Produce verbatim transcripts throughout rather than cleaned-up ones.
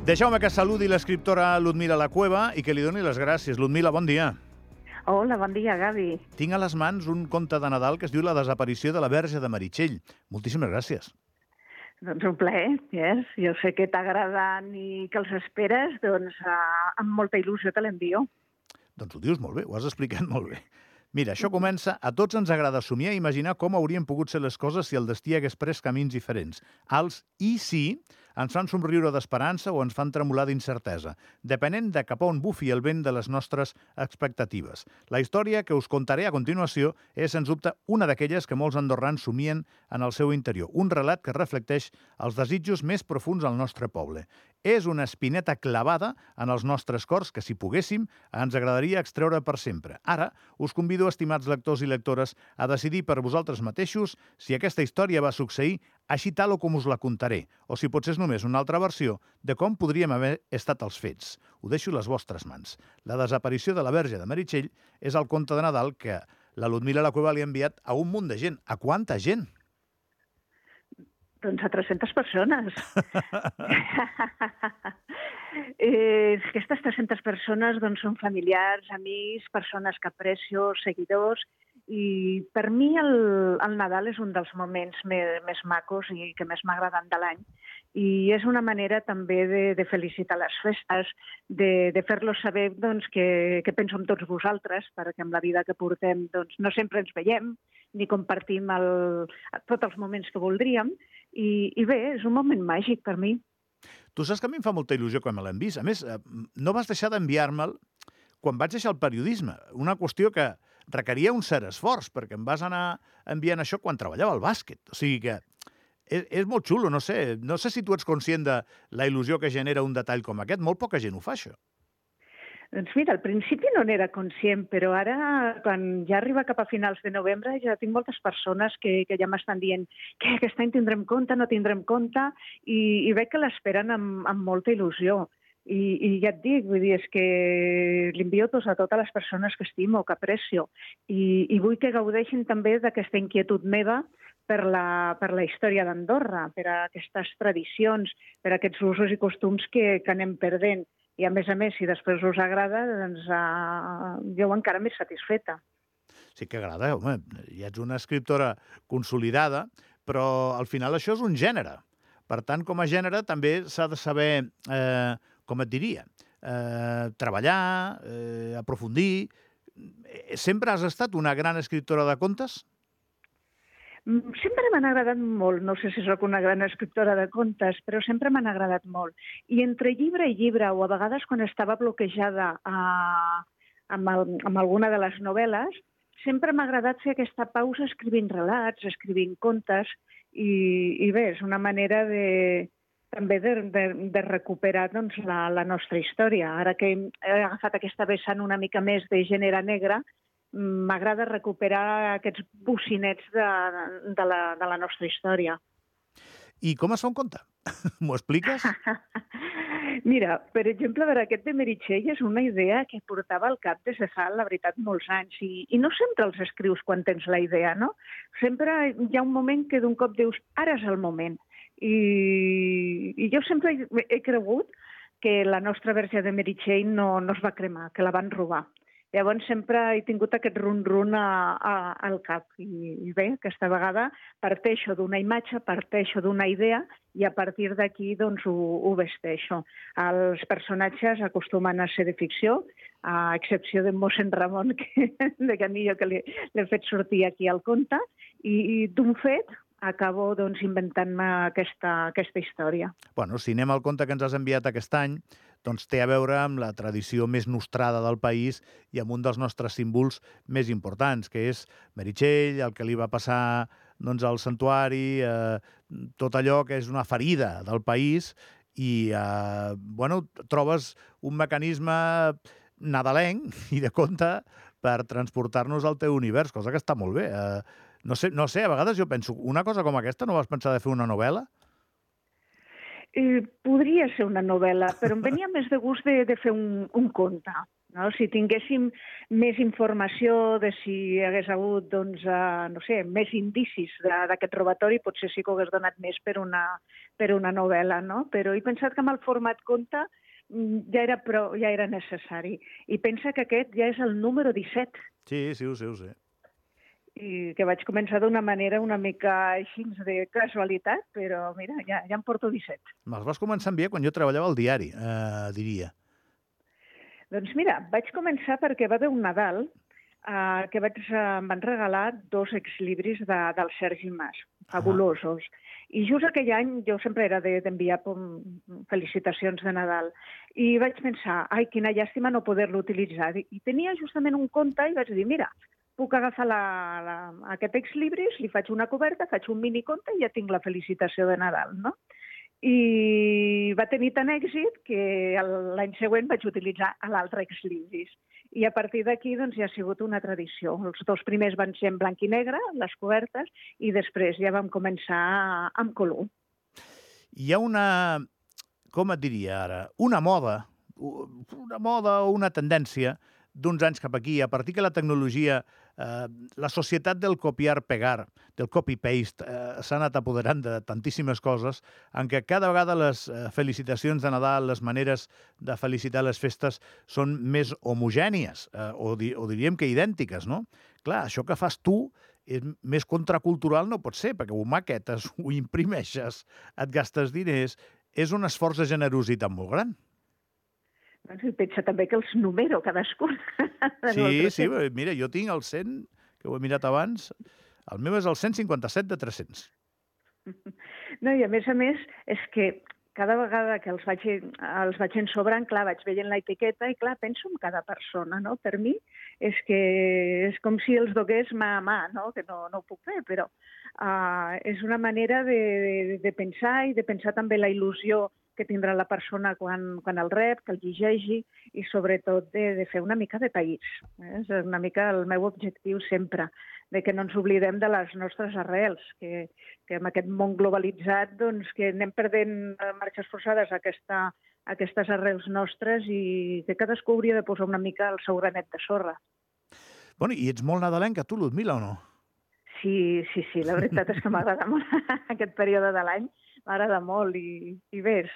Deixeu-me que saludi l'escriptora Ludmila La Cueva i que li doni les gràcies. Ludmila, bon dia. Hola, bon dia, Gavi. Tinc a les mans un conte de Nadal que es diu La desaparició de la Verge de Meritxell. Moltíssimes gràcies. Doncs un plaer, yes. Jo sé que t'agraden i que els esperes, doncs uh, amb molta il·lusió te l'envio. Doncs ho dius molt bé, ho has explicat molt bé. Mira, això comença... A tots ens agrada somiar i imaginar com haurien pogut ser les coses si el destí hagués pres camins diferents. Els i sí ens fan somriure d'esperança o ens fan tremolar d'incertesa, depenent de cap a on bufi el vent de les nostres expectatives. La història que us contaré a continuació és, sens dubte, una d'aquelles que molts andorrans somien en el seu interior. Un relat que reflecteix els desitjos més profuns del nostre poble. És una espineta clavada en els nostres cors que, si poguéssim, ens agradaria extreure per sempre. Ara, us convido, estimats lectors i lectores, a decidir per vosaltres mateixos si aquesta història va succeir així tal o com us la contaré, o si potser és només una altra versió de com podríem haver estat els fets. Ho deixo a les vostres mans. La desaparició de la Verge de Meritxell és el conte de Nadal que la Ludmila La Cueva li ha enviat a un munt de gent. A quanta gent? Doncs a tres-centes persones. eh, aquestes tres-centes persones doncs, són familiars, amics, persones que aprecio, seguidors, i per mi el, el Nadal és un dels moments més, més macos i que més m'agraden de l'any. I és una manera també de, de felicitar les festes, de, de fer-los saber doncs, que, que penso en tots vosaltres, perquè amb la vida que portem doncs, no sempre ens veiem ni compartim el, tots els moments que voldríem. I, I bé, és un moment màgic per mi. Tu saps que a mi em fa molta il·lusió quan me l'hem vist. A més, no vas deixar d'enviar-me'l quan vaig deixar el periodisme. Una qüestió que requeria un cert esforç, perquè em vas anar enviant això quan treballava al bàsquet. O sigui que és, és molt xulo, no sé. No sé si tu ets conscient de la il·lusió que genera un detall com aquest. Molt poca gent ho fa, això. Doncs mira, al principi no n'era conscient, però ara, quan ja arriba cap a finals de novembre, ja tinc moltes persones que, que ja m'estan dient que aquest any tindrem compte, no tindrem compte, i, i veig que l'esperen amb, amb molta il·lusió. I, I ja et dic, vull dir, és que l'envio a totes les persones que estimo, que aprecio, i, i vull que gaudeixin també d'aquesta inquietud meva per la, per la història d'Andorra, per a aquestes tradicions, per a aquests usos i costums que, que anem perdent. I, a més a més, si després us agrada, doncs uh, jo encara més satisfeta. Sí que agrada, home. Ja ets una escriptora consolidada, però al final això és un gènere. Per tant, com a gènere, també s'ha de saber, eh, com et diria, eh, treballar, eh, aprofundir. Sempre has estat una gran escriptora de contes? Sempre m'han agradat molt, no sé si sóc una gran escriptora de contes, però sempre m'han agradat molt. I entre llibre i llibre, o a vegades quan estava bloquejada a, amb, el, amb alguna de les novel·les, sempre m'ha agradat fer aquesta pausa escrivint relats, escrivint contes, i, i bé, és una manera de, també de, de, de recuperar doncs, la, la nostra història. Ara que he agafat aquesta vessant una mica més de gènere negre, m'agrada recuperar aquests bocinets de, de, la, de la nostra història. I com es fa un conte? M'ho expliques? Mira, per exemple, per aquest de Meritxell és una idea que portava al cap des de fa, la veritat, molts anys. I, i no sempre els escrius quan tens la idea, no? Sempre hi ha un moment que d'un cop dius, ara és el moment. I, i jo sempre he cregut que la nostra Verge de Meritxell no, no es va cremar, que la van robar. Llavors sempre he tingut aquest run-run a, a, al cap. I, I bé, aquesta vegada parteixo d'una imatge, parteixo d'una idea i a partir d'aquí doncs, ho, ho vesteixo. Els personatges acostumen a ser de ficció, a excepció de mossèn Ramon, que, de Canillo, que l'he fet sortir aquí al conte, i, i d'un fet acabo doncs, inventant-me aquesta, aquesta història. Bueno, si anem al conte que ens has enviat aquest any, doncs té a veure amb la tradició més nostrada del país i amb un dels nostres símbols més importants, que és Meritxell, el que li va passar doncs, al santuari, eh, tot allò que és una ferida del país, i eh, bueno, trobes un mecanisme nadalenc i de conte per transportar-nos al teu univers, cosa que està molt bé. Eh, No sé, no sé, a vegades jo penso, una cosa com aquesta no vas pensar de fer una novel·la? Eh, podria ser una novel·la, però em venia més de gust de, de fer un, un conte. No? Si tinguéssim més informació de si hi hagués hagut, doncs, uh, no sé, més indicis d'aquest robatori, potser sí que ho hagués donat més per una, per una novel·la, no? Però he pensat que amb el format conte ja era, prou, ja era necessari. I pensa que aquest ja és el número disset. Sí, sí, ho sé, ho sé. I que vaig començar d'una manera una mica així de casualitat, però mira, ja, ja en porto disset. Me'ls vas començar a enviar quan jo treballava al diari, eh, diria. Doncs mira, vaig començar perquè va haver un Nadal eh, que vaig, eh, em van regalar dos exlibris de, del Sergi Mas, fabulosos. Ah. I just aquell any jo sempre era d'enviar de, felicitacions de Nadal. I vaig pensar, ai, quina llàstima no poder-lo utilitzar. I tenia justament un conte i vaig dir, mira, puc agafar la, la, aquest exlibris, li faig una coberta, faig un miniconte i ja tinc la felicitació de Nadal, no? I va tenir tant èxit que l'any següent vaig utilitzar l'altre exlibris. I a partir d'aquí doncs, ja ha sigut una tradició. Els dos primers van ser en blanc i negre, les cobertes, i després ja vam començar amb color. Hi ha una, com et diria ara, una moda, una moda o una tendència d'uns anys cap aquí, a partir que la tecnologia, eh, la societat del copiar-pegar, del copy-paste, eh, s'ha anat apoderant de tantíssimes coses, en què cada vegada les eh, felicitacions de Nadal, les maneres de felicitar les festes són més homogènies, eh, o, di o diríem que idèntiques, no? Clar, això que fas tu és més contracultural no pot ser, perquè ho maquetes, ho imprimeixes, et gastes diners, és un esforç de generositat molt gran. Doncs pensa també que els numero cadascun. Sí, sí, mira, jo tinc el cent, que ho he mirat abans, el meu és el cent cinquanta-set de tres-cents. No, i a més a més, és que cada vegada que els vaig, els vaig ensobrant, clar, vaig veient l'etiqueta i, clar, penso en cada persona, no? Per mi és que és com si els dogués mà a mà, no? Que no, no ho puc fer, però uh, és una manera de, de, de pensar i de pensar també la il·lusió que tindrà la persona quan, quan el rep, que el llegeixi i sobretot de, de fer una mica de país. Eh? És una mica el meu objectiu sempre, de que no ens oblidem de les nostres arrels, que, que en aquest món globalitzat doncs, que anem perdent marxes forçades a, aquesta, a aquestes arrels nostres i que cadascú hauria de posar una mica el seu granet de sorra. Bueno, i ets molt nadalenca, tu, Ludmila, o no? Sí, sí, sí, la veritat és que m'agrada molt aquest període de l'any, m'agrada molt i, i bé, és,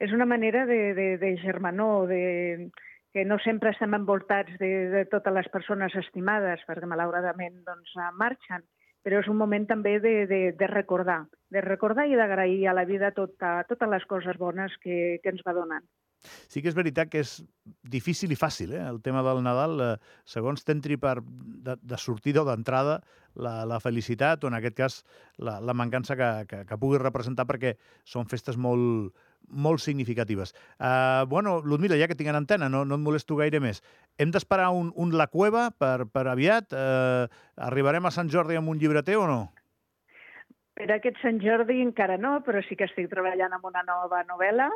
és una manera de, de, de germanor, de, que no sempre estem envoltats de, de totes les persones estimades, perquè malauradament doncs, marxen, però és un moment també de, de, de recordar, de recordar i d'agrair a la vida tota, totes les coses bones que, que ens va donant. Sí que és veritat que és difícil i fàcil, eh? El tema del Nadal, eh, segons t'entri per de, de sortida o d'entrada la, la felicitat o, en aquest cas, la, la mancança que, que, que pugui representar perquè són festes molt, molt significatives. Uh, bueno, Ludmila, ja que tinc en antena, no, no et molesto gaire més. Hem d'esperar un, un La Cueva per, per aviat? Uh, arribarem a Sant Jordi amb un llibreter o no? Per aquest Sant Jordi encara no, però sí que estic treballant en una nova novel·la.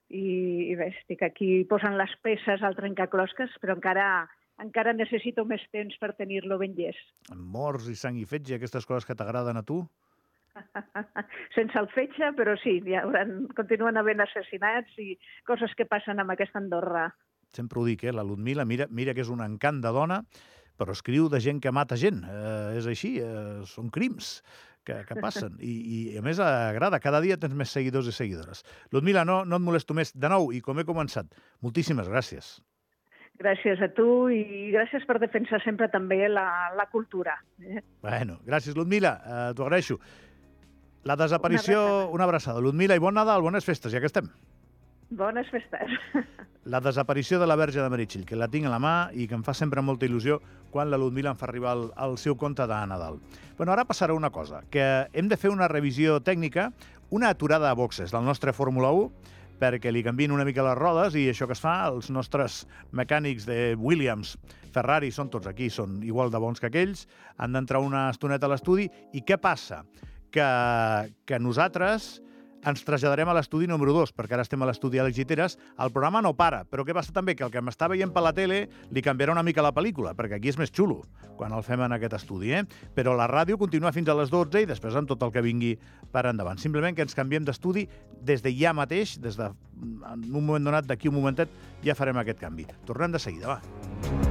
I, i bé, estic aquí posant les peces al trencaclosques, però encara, encara necessito més temps per tenir-lo ben llest. Morts i sang i fetge, aquestes coses que t'agraden a tu? Sense el fetge, però sí, hi haurà, continuen havent assassinats i coses que passen amb aquesta Andorra. Sempre ho dic, eh? La Ludmila, mira, mira que és un encant de dona, però escriu de gent que mata gent. Eh, és així, eh, són crims que, que passen. I, I, a més, agrada. Cada dia tens més seguidors i seguidores. Ludmila, no, no et molesto més. De nou, i com he començat, moltíssimes gràcies. Gràcies a tu i gràcies per defensar sempre també la, la cultura. Eh? Bueno, gràcies, Ludmila. Eh, T'ho agraeixo. La desaparició... Una abraçada. Una abraçada. Ludmila, i bon Nadal, bones festes, ja que estem. Bones festes. La desaparició de la Verge de Meritxell, que la tinc a la mà i que em fa sempre molta il·lusió quan la Ludmila em fa arribar el, el seu conte de Nadal. Bueno, ara passarà una cosa, que hem de fer una revisió tècnica, una aturada a boxes del nostre Fórmula u, perquè li canvien una mica les rodes i això que es fa, els nostres mecànics de Williams, Ferrari, són tots aquí, són igual de bons que aquells, han d'entrar una estoneta a l'estudi. I què passa? Que, que nosaltres ens traslladarem a l'estudi número dos, perquè ara estem a l'estudi Àlex Giteres. El programa no para, però què passa també? Que el que m'està veient per la tele li canviarà una mica la pel·lícula, perquè aquí és més xulo quan el fem en aquest estudi, eh? Però la ràdio continua fins a les dotze i després amb tot el que vingui per endavant. Simplement que ens canviem d'estudi des de ja mateix, des de en un moment donat, d'aquí un momentet, ja farem aquest canvi. Tornem de seguida, va.